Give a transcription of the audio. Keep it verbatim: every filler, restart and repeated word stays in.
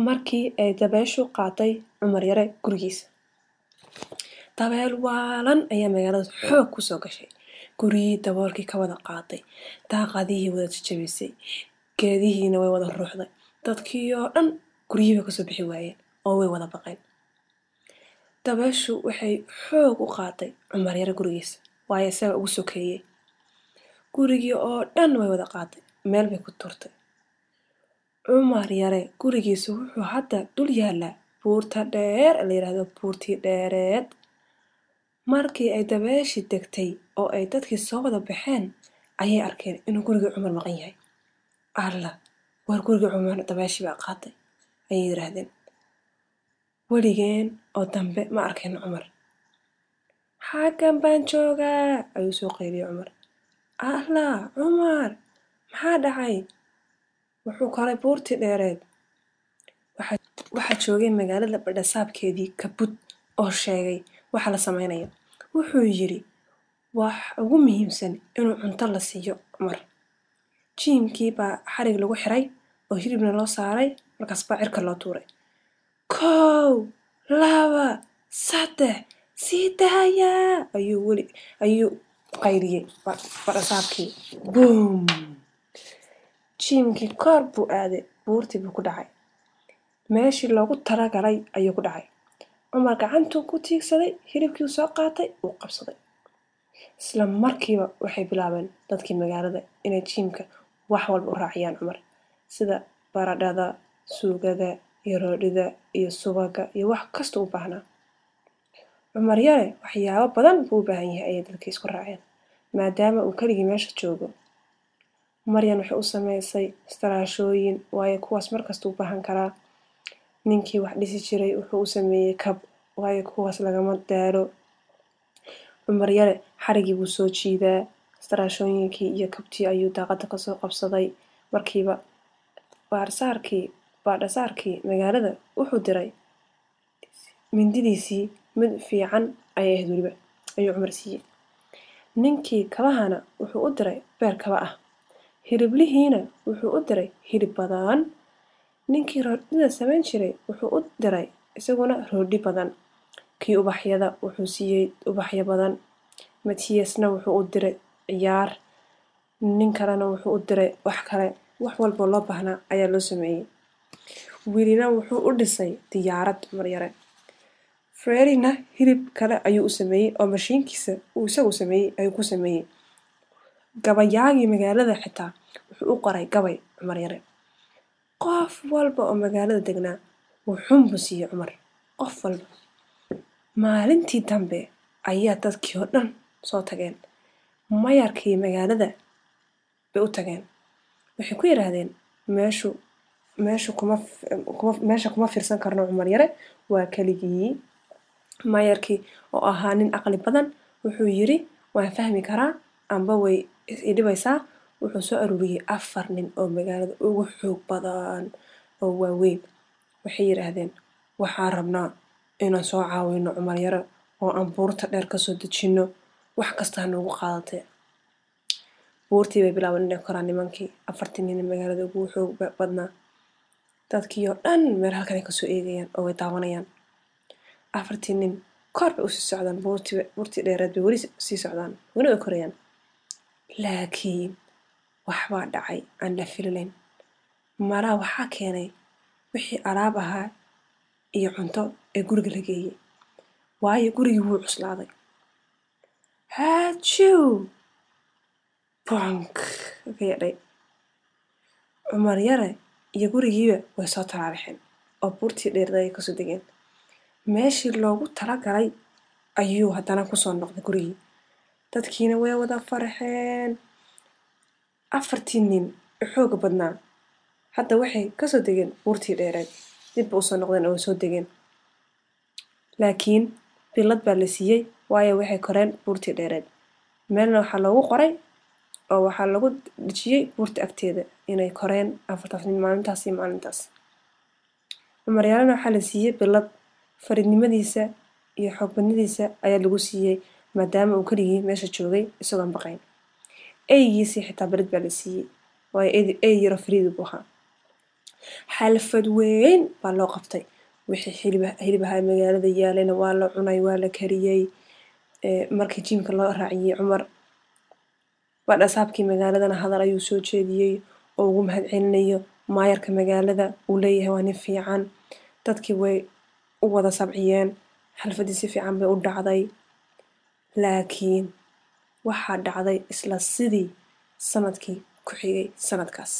Markii ay dabayshu qaaday Cumar Yare gurigiisa. Dabeel waalan ayaa magaalada xoog ku soo gashay. Guryihii daboolkii ka wada qaaday, daaqadihii wada jajabisay, geedihiina way wada ruuxday. Dadkii oo dhan guryihii bay kasoo bixi waayeen oo way wada baqeen. Dabayshu waxay xoog u qaaday Cumar Yare gurigiisa, waayo isaga ugu sokeeyey. Gurigii oo dhan way wada qaaday, meel bay ku tuurtay. Cumar Yare gurigiisa wuxuu hadda dul yaalaa buurta dheer ee la yiraahdo Buurtii Dheereed. Markii ay dabayshii degtay oo ay dadkii soo wada baxeen, ayay arkeen inuu gurigii Cumar maqan yahay. Alla, war gurigii Cumar dabayshii baa qaaday, ayay yiraahdeen. Weligeen oo dambe ma arkeen Cumar. Xaggan baan joogaa, ayuu soo qayliyey Cumar. Alla, Cumar, maxaa dhacay? Wuxuu koray buurtii dheereed. Waxaa joogay magaalada badhasaabkeedii Kabut oo sheegay waxa la sameynayo. Wuxuu yiri wax ugu muhiimsan inuu cunto la siiyo Cumar. Jiimkii baa xarig lagu xiray oo hilibna loo saaray, markaas baa cirka loo tuuray. Kow, laba, saddex, sii daaya, ayuu weli ayuu qayliyey badhasaabkii. Boom! Jiimkii kor buu aaday, buurtii buu ku dhacay. Meeshii loogu talagalay ayuu ku dhacay. Cumar gacantuu ku tiigsaday, hilibkii soo qaatay, uu qabsaday. Isla markiiba waxay bilaabeen dadkii magaalada inay jiimka wax walba u raaciyaan Cumar, sida baradhada, suugada, iyo roodhida, iyo subaga, iyo wax kasta u baahnaa. Cumar Yare waxyaabo badan buu u baahan yahay, ayay dadkii isku raaceen, maadaama uu keligii meesha joogo. Maryan waxay u samaysay istaraashooyin, waayo kuwaas markasta u baahan karaa. Ninkii wax dhisi jiray wuxuu u sameeyey kab, waayo kuwaas lagama daalo. Cumar Yare xarigii buu soo jiidaa, istaraashooyinkii iyo kabtii ayuu daaqada kasoo qabsaday. Markiiba baarsaarkii baadhasaarkii magaalada wuxuu diray mindidiisii, mid fiican ayay ahayd weliba, ayuu Cumar siiyey. Ninkii kabahana wuxuu u diray beer kaba ah. Hiliblihiina wuxuu u diray hilib badan. Ninkii roodhida samayn jiray wuxuu u diray isaguna roodhi badan. Kii ubaxyada wuxuu siiyey ubaxyo badan. Matiyasna wuxuu u diray ciyaar. Nin kalena wuxuu u diray wax kale. Wax walba loo baahnaa ayaa loo sameeyey. Wiilina wuxuu u dhisay diyaarad Cumar Yare. Freddina hilib kale ayuu u sameeyey oo mashiinkiisa uu isagu sameeyey ayuu ku sameeyey. Gabayaagii magaalada xitaa wuxuu u qoray gabay Cumar Yare. Qof walba oo magaalada degnaa wuxuun buu siiyey Cumar. Qof walba. Maalintii dambe ayaa dadkii oo dhan soo tageen. Mayarkii magaalada bay u tageen. Waxay ku yiraahdeen meeshu meeshu kuma kuma meesha kuma fiirsan karno Cumar Yare, waa keligii. Mayarkii oo ahaa nin aqli badan wuxuu yiri waan fahmi karaa, amba way i dhibaysaa. Wuxuu soo aruuriyey afar nin oo magaalada ugu xoog badan oo waaweyn. Waxay yiraahdeen waxaan rabnaa inaan soo caawino Cumar Yare oo aan buurta dheer kasoo dejino, wax kasta ha noogu qaadatee. Buurtii bay bilaabeen inay koraan nimankii afartii nin ee magaalada ugu xoog badnaa. Dadkii oo dhan meel halkan ay kasoo eegayaan oo way daawanayaan. Afartii nin kor bay usii socdaan, buurtii buurtii dheereed bay weli sii socdaan, weli way korayaan. Laakiin waxbaa dhacay aan la filayn. Malaa waxaa keenay wixii alaab ahaa iyo cunto ee guriga la geeyey, waayo gurigii wuu cuslaaday. Haajiw! Bonk! Ka yadhay. Cumar Yare iyo gurigiiba way soo talaabixeen oo buurtii dheereed ayay kasoo degeen. Meeshii loogu talagalay ayuu haddana kusoo noqday gurigii. Dadkiina way wada farxeen. Afartii nin ee xooga badnaa hadda waxay kasoo degeen buurtii dheereed. Dib bay usoo noqdeen oo way soo degeen. Laakiin bilad baa la siiyey, waayo waxay koreen buurtii dheereed. Meelna waxaa loogu qoray oo waxaa lagu dhejiyey buurta agteeda inay koreen afartaas nin maalintaas iyo maalintaas. Cumar Yarena waxaa la siiyey bilad fariidnimadiisa iyo xoog badnidiisa ayaa lagu siiyey, maadaama uu keligii meesha joogay isagoon baqayn. Eygiisii xitaa bilad baa la siiyey, waayo ey yaro fariid buu ahaa. Xalfad weyn baa loo qabtay. Wixii hilibaha magaalada yaalayna waa la cunay, waa la kariyey. Markii jiimka loo raaciyey Cumar, badhasaabkii magaaladana hadal ayuu soo jeediyey oo ugu mahadcelinayo maayarka magaalada, uu leeyahay waa nin fiican. Dadkii way u wada sabciyeen, xalfadii si fiican bay u dhacday. Laakiin waxaa dhacday isla sidii sanadkii ku xigay sanadkaas.